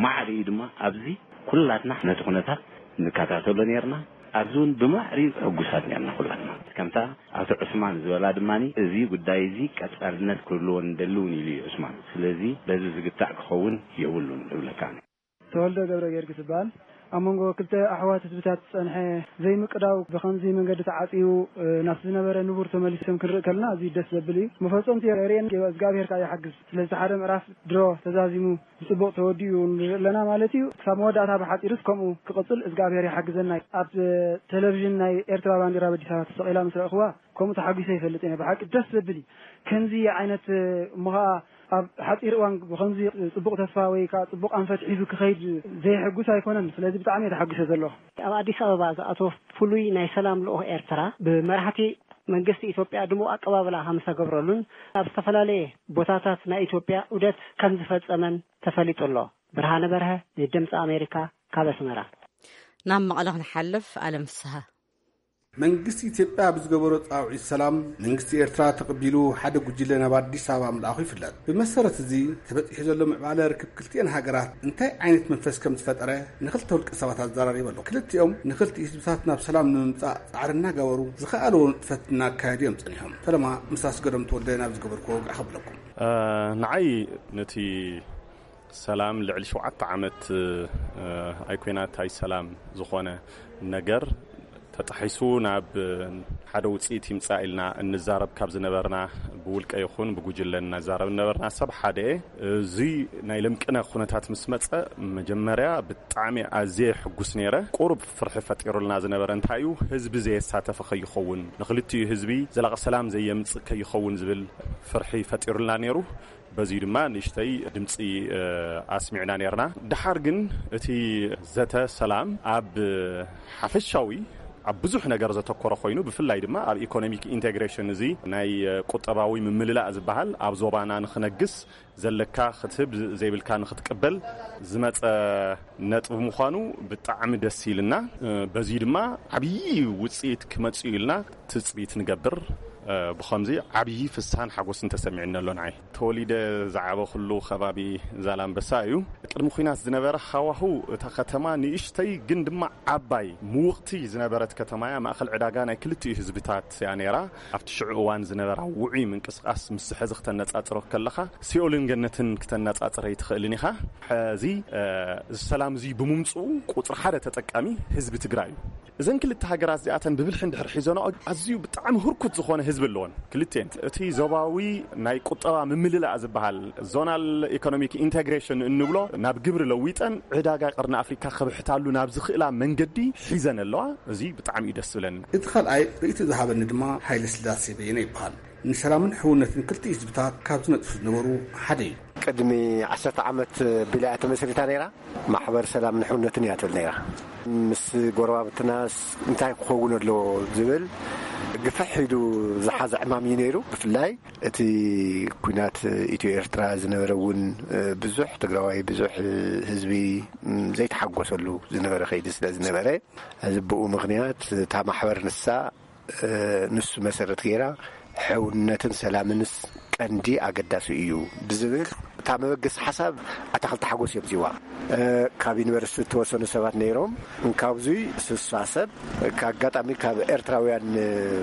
ማዕሪኡ ድማ ኣብዚ ኩላትና ነቲ ኩነታት ንከታተሎ ነርና። ኣብዚ እውን ብማዕሪኡ ሕጉሳት ነርና ኩላትና። ከምታ ኣቶ ዑስማን ዝበላ ድማ እዚ ጉዳይ እዚ ቀጻልነት ክህልዎ ንደሊ እውን ኢሉ እዩ ዑስማን። ስለዚ በዚ ዝግታእ ክኸውን የብሉን እብለካ ኣነ። ተወልደ ገብረ ጊዮርጊስ ይበሃል። ኣብ መንጎ ክልተ ኣሕዋት ህዝብታት ዝጸንሐ ዘይምቅዳው ብኸምዚ መንገዲ ተዓጽዩ፣ እ፣ ናብቲ ዝነበረ ንቡር ተመሊሶም ክንርኢ ከለና ኣዝዩ ደስ ዘብል እዩ። መፈጸምቲ የርእየን እግዚኣብሔር ከኣ ይሓግዝ። ስለዚ ሓደ ምዕራፍ ድሮ ተዛዚሙ ብጽቡቕ ተወዲኡ ንርኢ ኣለና ማለት እዩ። ክሳብ መወዳእታ ብሓጺሩስ ከምኡ ክቕጽል እግዚኣብሔር ይሓግዘና። ኣብ ቴሌቪዥን ናይ ኤርትራ ባንዲራ ኣብ ኣዲስ ኣበባ ተሰቒላ ምስ ረእኽዋ ከምኡ ተሓጒሰ ይፈልጥ እየ። ብሓቂ ደስ ዘብል እዩ። ከምዚ ዓይነት እሞ ኸኣ ኣብ ሓጺር እዋን ብኸምዚ ጽቡቕ ተስፋ ወይ ከኣ ጽቡቕ ኣንፈት ሒዙ ክኸይድ ዘይሕጉስ ኣይኮነን። ስለዚ ብጣዕሚ እየ ተሓጒሰ ዘለኹ። ኣብ ኣዲስ ኣበባ ዝኣተወ ፍሉይ ናይ ሰላም ልኡኽ ኤርትራ ብመራሕቲ መንግስቲ ኢትዮጵያ ድሙቕ ኣቀባብላ ከም ዝተገብረሉን ኣብ ዝተፈላለየ ቦታታት ናይ ኢትዮጵያ ዑደት ከም ዝፈጸመን ተፈሊጡ ኣሎ። ብርሃነ በርሀ ንድምፂ ኣሜሪካ ካብ ኣስመራ። ናብ መቐለ ክንሓልፍ፣ ኣለም ፍስሃ። መንግስቲ ኢትዮጵያ ብዝገበሮ ጻውዒት ሰላም፣ መንግስቲ ኤርትራ ተቐቢሉ ሓደ ጉጅለ ናብ ኣዲስ ኣበባ ምልኣኹ ይፍለጥ። ብመሰረት እዚ ተበጺሑ ዘሎ ምዕባለ ርክብ ክልቲኤን ሃገራት እንታይ ዓይነት መንፈስ ከም ዝፈጠረ ንኽልተ ውልቀ ሰባት ኣዘራሪበ ኣለኹ። ክልቲኦም ንኽልቲኡ ህዝብታት ናብ ሰላም ንምምጻእ ጻዕሪ እናገበሩ ዝኸኣልዎ ንጥፈት እናካየዱ እዮም ጸኒሖም። ፈለማ ምስ ኣስገዶም ተወልደ ናብ ዝገበርኩዎ ወግዒ ከብለኩም። እ፣ ንዓይ ነቲ ሰላም ልዕሊ ሸውዓተ ዓመት፣ እ፣ ኣይኮይናት ኣይሰላም ዝኾነ ነገር፣ እታ ተጣሒሱ ናብ ሓደ ውፅኢት ይምፃእ ኢልና እንዛረብ ካብ ዝነበርና፣ ብውልቀ ይኹን ብጉጅለ እናዛረብ ነበርና። ሰብ ሓደ እየ። እዚ ናይ ለምቅነ ኩነታት ምስ መፀ፣ መጀመርያ ብጣዕሚ ኣዝየ ሕጉስ ነይረ። ቁሩብ ፍርሒ ፈጢሩልና ዝነበረ እንታይ እዩ፣ ህዝቢ ዘየሳተፈ ከይኸውን፣ ንክልቲኡ ህዝቢ ዘላቂ ሰላም ዘየምፅእ ከይኸውን ዝብል ፍርሒ ፈጢሩልና ነይሩ። በዚ ድማ ንእሽተይ ድምፂ ኣስሚዕና ነርና። ድሓር ግን እቲ ዘተ ሰላም ኣብ ሓፈሻዊ፣ ኣብ ብዙሕ ነገር ዘተኮረ ኮይኑ፣ ብፍላይ ድማ ኣብ ኢኮኖሚክ ኢንቴግሬሽን፣ እዚ ናይ ቁጠባዊ ምምልላእ ዝበሃል፣ ኣብ ዞባና ንክነግስ ዘለካ ክትህብ ዘይብልካ ንክትቅበል ዝመፀ ነጥቢ ምዃኑ ብጣዕሚ ደስ ኢልና። በዚ ድማ ዓብዪ ውፅኢት ክመፅእ ኢልና ትፅቢት ንገብር። ብኸምዚ ዓብዪ ፍስሃን ሓጎስን ተሰሚዕኒ ኣሎ። ንዓይ ተወሊደ ዝዓበኹሉ ከባቢ ዛላምበሳ እዩ። ቅድሚ ኲናት ዝነበረ ሃዋሁ፣ እታ ከተማ ንእሽተይ ግን ድማ ዓባይ ምውቕቲ ዝነበረት ከተማ እያ። ማእኸል ዕዳጋ ናይ ክልቲኡ ህዝብታት እያ ነይራ። ኣብቲ ሽዑ እዋን ዝነበራ ውዑይ ምንቅስቃስ ምስ ሕዚ ክተነጻጽሮ ከለኻ፣ ሲኦልን ገነትን ክተነጻጽረ ኣይትኽእልን ኢኻ። ሕዚ እዚ ሰላም እዚ ብምምፅኡ፣ ቁፅሪ ሓደ ተጠቃሚ ህዝቢ ትግራይ እዩ። እዘን ክልተ ሃገራት እዚኣተን ብብልሒ እንድሕር ሒዘንኦ፣ ኣዝዩ ብጣዕሚ ህርኩት ዝኾነ ህዝቢ ኣለወን ክልቲኤን። እቲ ዞባዊ ናይ ቁጠባ ምምልላእ ዝበሃል፣ ዞናል ኢኮኖሚክ ኢንተግሬሽን እንብሎ፣ ናብ ግብሪ ለዊጠን ዕዳጋ ቀርኒ ኣፍሪካ ከብሕታሉ ናብ ዝኽእላ መንገዲ ሒዘን ኣለዋ። እዚ ብጣዕሚ እዩ ደስ ዝብለኒ። እቲ ካልኣይ ርእይቶ ዝሃበኒ ድማ ሃይለ ስላሴ በየነ ይበሃል። ንሰላምን ሕውነትን ክልቲኡ ህዝብታት ካብ ዝነጥፉ ዝነበሩ ሓደ እዩ። ቅድሚ ዓሰርተ ዓመት ቢላ እያ ተመስሪታ ነይራ። ማሕበር ሰላም ንሕውነትን እያ ትብል ነይራ። ምስ ጎረባብትናስ እንታይ ክኸውን ኣለዎ ዝብል ግፍሕ ኢሉ ዝሓዘ ዕማም እዩ ነይሩ። ብፍላይ እቲ ኩናት ኢትዮ ኤርትራ ዝነበረ እውን ብዙሕ ትግራዋይ፣ ብዙሕ ህዝቢ ዘይተሓጎሰሉ ዝነበረ ከይዲ ስለ ዝነበረ፣ እዚ ብኡ ምኽንያት እታ ማሕበር ንሳ ንሱ መሰረት ገይራ ሕውነትን ሰላምንስ ቀንዲ ኣገዳሲ እዩ ብዝብል እታ መበገሲ ሓሳብ ኣታኽልቲ ሓጎስ እዮም ዝዋ። ካብ ዩኒቨርሲቲ ዝተወሰኑ ሰባት ነይሮም። እንካብዙይ ስሳ ሰብ፣ ኣጋጣሚ ካብ ኤርትራውያን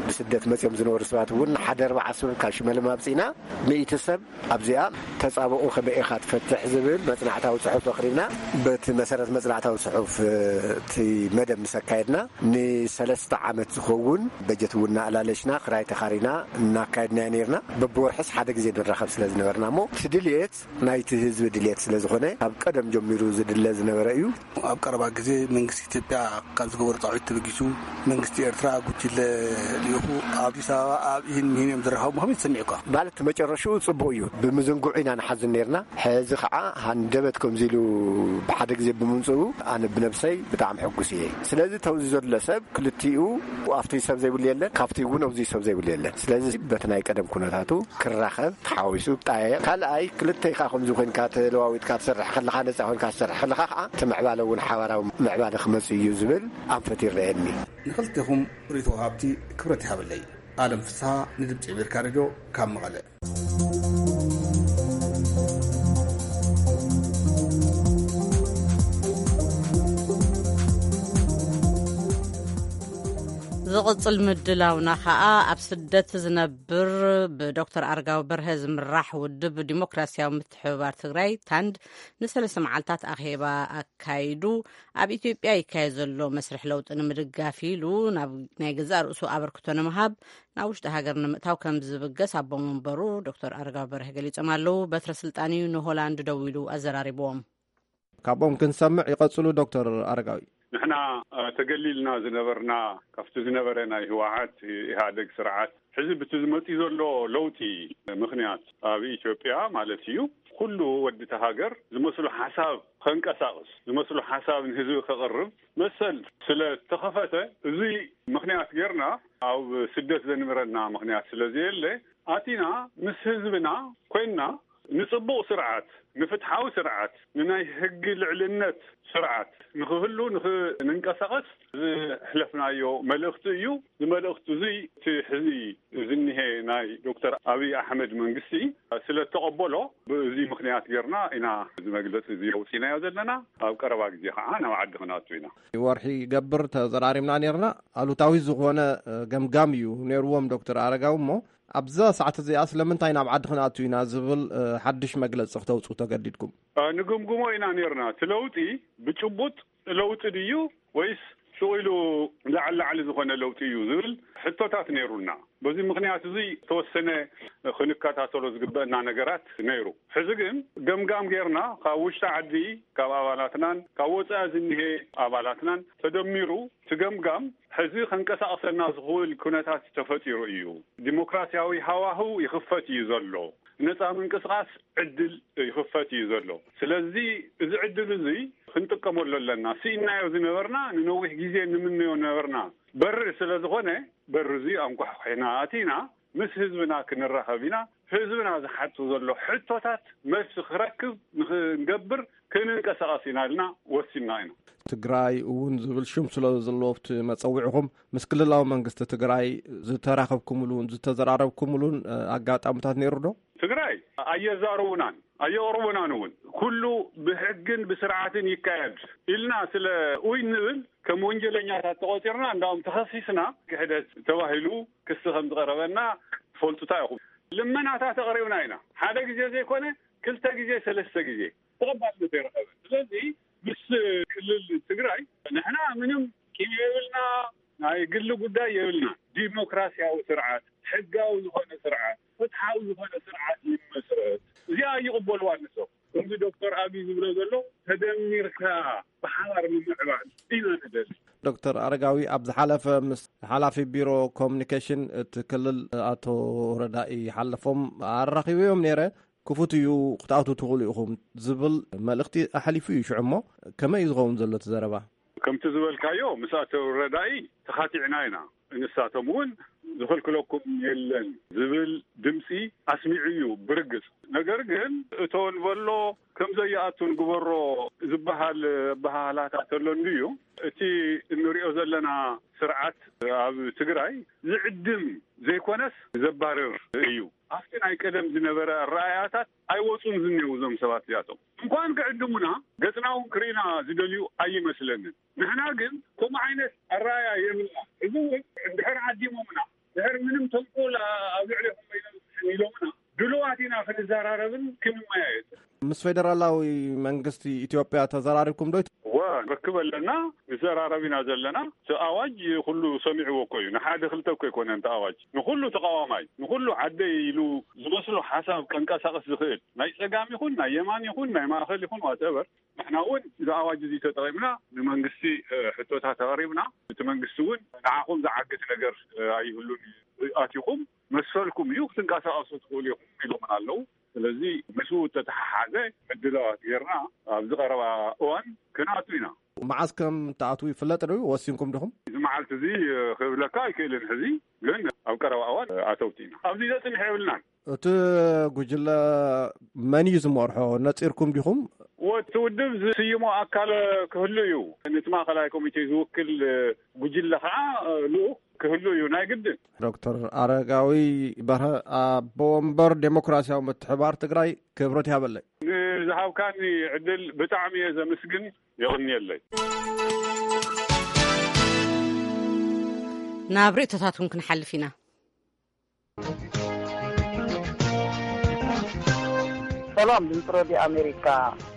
ብስደት መፂኦም ዝነበሩ ሰባት እውን ሓደ ኣርባዓ ሰብ ካብ ሽመል ማብፂና፣ ሚእቲ ሰብ ኣብዚኣ ተጻብኦ ከመይ ኢኻ ትፈትሕ ዝብል መጽናዕታዊ ጽሑፍ ኣቕሪብና። በቲ መሰረት መጽናዕታዊ ጽሑፍ እቲ መደብ ምስ ኣካየድና፣ ንሰለስተ ዓመት ዝኸውን በጀት እውን እናኣላለሽና፣ ክራይ ተኻሪና እናካየድናዮ ነይርና። በብወርሕስ ሓደ ግዜ ንራኸብ ስለ ዝነበርና እሞ፣ እቲ ድልየት ናይቲ ህዝቢ ድልየት ስለ ዝኾነ፣ ካብ ቀደም ጀሚሩ ዝድለ ዝነበረ እዩ። ኣብ ቀረባ ግዜ መንግስቲ ኢትዮጵያ ካብ ዝገበሮ ጻውዒት ተበጊሱ፣ መንግስቲ ኤርትራ ጉጅለ ልኢኹ ኣብ ኣዲስ ኣበባ ኣብ ኢሂን ምሂን እዮም ዝራኸቡ፣ ከመይ ትሰሚዑ እኳ? ማለት መጨረሽኡ ጽቡቕ እዩ። ብምዝንጉዕ ኢና ንሓዝን ነርና። ሕዚ ኸዓ ሃንደበት ከምዚ ኢሉ ብሓደ ግዜ ብምምጽኡ ኣነ ብነብሰይ ብጣዕሚ ሕጉስ እየ። ስለዚ ተውዚ ዘሎ ሰብ ክልቲኡ ኣብቲ ሰብ ዘይብሉ የለን፣ ካብቲ እውን ኣብዚ ሰብ ዘይብሉ የለን። ስለዚ በቲ ናይ ቀደም ኩነታቱ ክራኸብ ተሓዋዊሱ ጣየቕ። ካልኣይ ክልተ ኢኻ ከምዚ ኮይንካ ተለዋዊጥካ ትሰርሕ ከለኻ፣ ነጻ ኮይንካ ትሰርሕ ከለኻ ኸዓ እቲ ምዕባለ እውን ሓባራዊ ምዕባለ ክመጽእ እዩ ዝብል ኣንፈት ይረኣየኒ። ንኽልቴኹም ርእይቶ ወሃብቲ ክብረት ይሃበለይ። ኣለም ፍስሃ ንድምፂ ኣሜሪካ ሬድዮ ካብ መቐለ። ዝቕጽል ምድላውና ኸኣ ኣብ ስደት ዝነብር ብዶክተር ኣረጋዊ በርሀ ዝምራሕ ውድብ ዲሞክራሲያዊ ምትሕብባር ትግራይ ታንድ ንሰለስተ መዓልታት ኣኼባ ኣካይዱ ኣብ ኢትዮጵያ ይካየድ ዘሎ መስርሕ ለውጢ ንምድጋፍ ኢሉ ናብ ናይ ገዛእ ርእሱ ኣበርክቶ ንምሃብ ናብ ውሽጢ ሃገር ንምእታው ከም ዝብገስ ኣቦ መንበሩ ዶክተር ኣረጋዊ በርሀ ገሊጾም ኣለዉ። በትረ ስልጣን እዩ ንሆላንድ ደዊሉ ኣዘራሪብዎም። ካብኦም ክንሰምዕ ይቐጽሉ ዶክተር ኣረጋዊ። ንሕና ተገሊልና ዝነበርና ካብቲ ዝነበረ ናይ ህወሓት ኢህኣደግ ስርዓት፣ ሕዚ ብቲ ዝመጽእ ዘሎ ለውጢ ምኽንያት ኣብ ኢትዮጵያ ማለት እዩ፣ ኩሉ ወዲ እቲ ሃገር ዝመስሉ ሓሳብ ከንቀሳቕስ፣ ዝመስሉ ሓሳብ ንህዝቢ ከቕርብ መሰል ስለ ተኸፈተ፣ እዚ ምኽንያት ጌርና ኣብ ስደት ዘንብረና ምኽንያት ስለ ዘየለ፣ ኣቲና ምስ ህዝብና ኮይንና ንጽቡቕ ስርዓት፣ ንፍትሓዊ ስርዓት፣ ንናይ ሕጊ ልዕልነት ስርዓት ንኽህሉ ንኽንንቀሳቐስ ዝሕለፍናዮ መልእኽቲ እዩ። እዚ መልእኽቲ እዚ እቲ ሕዚ ዝኒሀ ናይ ዶክተር ኣብይ ኣሕመድ መንግስቲ ስለ እተቐበሎ፣ ብእዚ ምኽንያት ጌርና ኢና እዚ መግለፂ እዚ ኣውፂእናዮ ዘለና። ኣብ ቀረባ ግዜ ከዓ ናብ ዓዲ ክንኣቱ ኢና። ወርሒ ይገብር ተዘራሪብና ኔርና። ኣሉታዊ ዝኾነ ገምጋም እዩ ኔርዎም ዶክተር ኣረጋዊ። እሞ ኣብዛ ሰዓት እዚኣ ስለምንታይ ናብ ዓዲ ክንኣቱ ኢና ዝብል ሓድሽ መግለፂ ክተውፅኡ ተገዲድኩም? ንግምግሞ ኢና ኔርና። እቲ ለውጢ ብጭቡጥ ለውጢ ድዩ ወይስ ሹቕ ኢሉ ላዕሊ ላዕሊ ዝኾነ ለውጢ እዩ ዝብል ሕቶታት ነይሩና። በዚ ምኽንያት እዚ ዝተወሰነ ክንከታተሎ ዝግበአና ነገራት ነይሩ። ሕዚ ግን ገምጋም ጌርና፣ ካብ ውሽጢ ዓዲ ካብ ኣባላትናን ካብ ወፃኢ ዝኒሄ ኣባላትናን ተደሚሩ፣ እቲ ገምጋም ሕዚ ከንቀሳቕሰና ዝኽእል ኩነታት ተፈጢሩ እዩ። ዲሞክራሲያዊ ሃዋህው ይኽፈት እዩ ዘሎ። ነፃ ምንቅስቓስ ዕድል ይኽፈት እዩ ዘሎ። ስለዚ እዚ ዕድል እዚ ክንጥቀመሉ ኣለና። ስኢናዮ ዝነበርና፣ ንነዊሕ ግዜ ንምነዮ ነበርና በሪ ስለ ዝኾነ፣ በሪ እዚ ኣንኳሕኲሕና ኣቲና ምስ ህዝብና ክንራኸብ ኢና። ህዝብና ዝሓቱ ዘሎ ሕቶታት መልሲ ክረክብ ንክንገብር ክንንቀሳቐስ ኢና ኢልና ወሲንና ኢና። ትግራይ እውን ዝብል ሽም ስለ ዘለዎ ኣብቲ መጸውዒኹም ምስ ክልላዊ መንግስቲ ትግራይ ዝተራኸብኩምሉን ዝተዘራረብኩምሉን ኣጋጣሚታት ነይሩ ዶ? ትግራይ ኣየዛረቡናን ኣየቕርቡናን እውን። ኩሉ ብሕግን ብስርዓትን ይካየድ ኢልና ስለ ውይ ንብል፣ ከም ወንጀለኛታት ተቖፂርና፣ እንዳውም ተኸሲስና፣ ክሕደት ተባሂሉ ክሲ ከም ዝቐረበና ትፈልጡታ ኢኹም። ልመናታት ኣቕሪብና ኢና። ሓደ ግዜ ዘይኮነ ክልተ ግዜ፣ ሰለስተ ግዜ ተቐባልነት ኣይረኸበን። ስለዚ ምስ ክልል ትግራይ ንሕና ምንም ቂም የብልና፣ ናይ ግሊ ጉዳይ የብልና። ዲሞክራሲያዊ ስርዓት፣ ሕጋዊ ዝኾነ ስርዓት፣ ፍትሓዊ ዝኾነ ስርዓት ይመስረት። እዚኣ ይቕበልዋ ንሶም። ከምዚ ዶክተር ኣብይ ዝብሎ ዘሎ፣ ተደሚርካ ብሓባር ምምዕባል ኢና ንደሊ። ዶክተር ኣረጋዊ፣ ኣብ ዝሓለፈ ምስ ሓላፊ ቢሮ ኮሙኒኬሽን እቲ ክልል ኣቶ ረዳኢ ሓለፎም ኣራኺበዮም ነይረ። ክፉት እዩ፣ ክትኣትዉ ትኽእሉ ኢኹም ዝብል መልእኽቲ ኣሕሊፉ እዩ። ሽዑ እሞ ከመይ እዩ ዝኸውን ዘሎ እቲ ዘረባ? ከምቲ ዝበልካዮ፣ ምስ ኣቶ ረዳኢ ተኻቲዕና ኢና። ንሳቶም እውን ዝኽልክለኩም የለን ዝብል ድምፂ ኣስሚዑ እዩ ብርግፅ። ነገር ግን እቶ ንበሎ ከም ዘይኣቱ ንግበሮ ዝበሃል ኣበሃህላታት ኣሎ እንድዩ። እቲ እንሪኦ ዘለና ስርዓት ኣብ ትግራይ ዝዕድም ዘይኮነስ ዘባርር እዩ። ኣብቲ ናይ ቀደም ዝነበረ ኣረኣእያታት ኣይወፁን ዝኒው እዞም ሰባት እዚኣቶም። እንኳን ክዕድሙና፣ ገፅና እውን ክርኢና ዝደልዩ ኣይመስለንን። ንሕና ግን ከምኡ ዓይነት ኣረኣእያ የብልና። እዚ እውን እንድሕር ዓዲሞምና፣ ድሕር ምንም ተንኮል ኣብ ልዕሌኹም ኣይነብፅሕን ኢሎምና፣ ድሉዋት ኢና ክንዘራረብን ክንመያየጥን። ምስ ፌደራላዊ መንግስቲ ኢትዮጵያ ተዘራሪብኩም ዶ? እወ፣ ንርክብ ኣለና፣ ንዘራረብ ኢና ዘለና። እቲ ኣዋጅ ኩሉ ሰሚዕዎ እኮ እዩ። ንሓደ ክልተ እኮ ኣይኮነን እቲ ኣዋጅ። ንኩሉ ተቃዋማይ፣ ንኩሉ ዓደይ ኢሉ ዝመስሎ ሓሳብ ከንቀሳቅስ ዝኽእል፣ ናይ ጸጋም ይኹን ናይ የማን ይኹን ናይ ማእከል ይኹን ዋትኤቨር፣ ንሕና እውን እዚ ኣዋጅ እዚ ተጠቒምና ንመንግስቲ፣ እ፣ ሕቶታት ኣቕሪብና፣ እቲ መንግስቲ እውን ንዓኹም ዝዓግት ነገር፣ እ፣ ኣይህሉን እዩ። ኣቲኹም መሰልኩም እዩ፣ ክትንቀሳቐሱ ትኽእሉ ኢኹም ኢሎምና ኣለዉ። ስለዚ ምስኡ እተተሓሓዘ ምድላዋት ጌርና ኣብዚ ቀረባ እዋን ክንኣቱ ኢና። መዓስ ከም ትኣትዉ ይፍለጥ ድዩ? ወሲንኩም ዲኹም? እዚ መዓልቲ እዚ ክብለካ ኣይክእልን። ሕዚ ግን ኣብ ቀረባ እዋን ኣተውቲ ኢና። ኣብዚ ዘጽንሕ የብልናን። እቲ ጉጅለ መን እዩ ዝመርሖ? ነጺርኩም ዲኹም? ወ-፣ እቲ ውድብ ዝስይሞ ኣካል ክህሉ እዩ። ነቲ ማእከላይ ኮሚቴ ዝውክል ጉጅለ ከዓ ልኡኽ ክህሉ እዩ ናይ ግድን። ዶክተር ኣረጋዊ በርሀ፣ ኣቦ ወንበር ዴሞክራሲያዊ ምትሕባር ትግራይ፣ ክብረት ይሃበለይ። ንዝሃብካኒ ዕድል ብጣዕሚ እየ ዘመስግን። የቕንየለይ። ናብ ርእቶታት እውን ክንሓልፍ ኢና። ሰላም ድምፂ ሬድዮ ኣሜሪካ።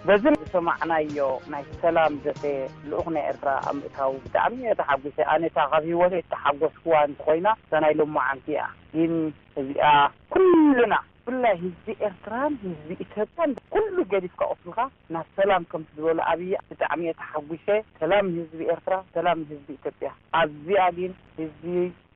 በዚ ዝሰማዕናዮ ናይ ሰላም ዘተ ልኡኽ ናይ ኤርትራ ኣብ ምእታዉ ብጣዕሚ እየ ተሓጒሰ። ኣነ እታ ካብ ህይወተይ ዝተሓጎስኩዋ እንተኾይና እዛ ናይ ሎማዓንቲ እያ። ግን እዚኣ ኩልና ብፍላይ ህዝቢ ኤርትራን ህዝቢ ኢትዮጵያን ኩሉ ገዲፍካ ቁስልካ ናብ ሰላም ከምቲ ዝበሎ ኣብይ ብጣዕሚ እየ ተሓጒሰ። ሰላም ንህዝቢ ኤርትራ፣ ሰላም ንህዝቢ ኢትዮጵያ። ኣብዚኣ ግን ህዝቢ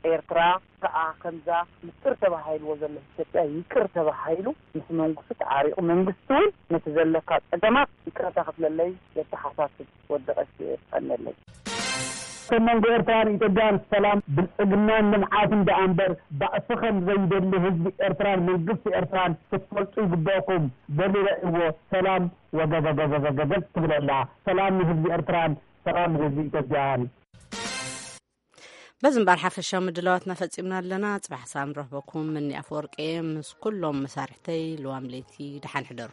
ኤርትራ ከኣ ከምዛ ምጽር ተባሂልዎ ዘሎ ኢትዮጵያ ይቅር ተባሂሉ ምስ መንግስቱ ተዓሪቑ መንግስቲ እውን ነቲ ዘለካ ጸገማት ይቅረታ ክፍለለይ የተሓሳስብ። ወዲ ቀሺ የቀነለይ። ከም መንጎ ኤርትራን ኢትዮጵያን ሰላም ብልጽግናን ልምዓትን ደኣ እምበር ባእሲ ከም ዘይደሊ ህዝቢ ኤርትራን መንግስቲ ኤርትራን ክትፈልጡ ይግበእኩም። በሊ ረእይዎ ሰላም ወገገገገገገ ትብል ኣላ። ሰላም ንህዝቢ ኤርትራን ሰላም ንህዝቢ ኢትዮጵያን። በዚ እምበኣር ሓፈሻዊ ምድላዋትና ፈጺምና ኣለና። ጽባሕ ሰላም ንረኽበኩም። እኒ ኣፈወርቂ ምስ ኩሎም መሳርሕተይ ልዋም ለይቲ ደሓን ሕደሩ።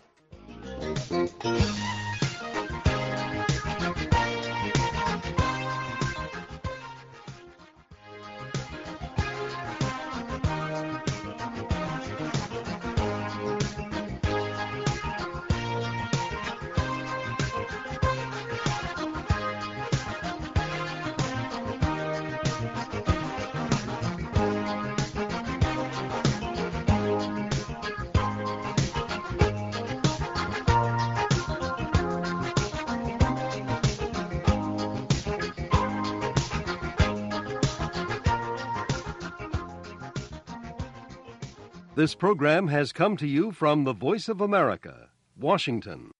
This program has come to you from the Voice of America, Washington.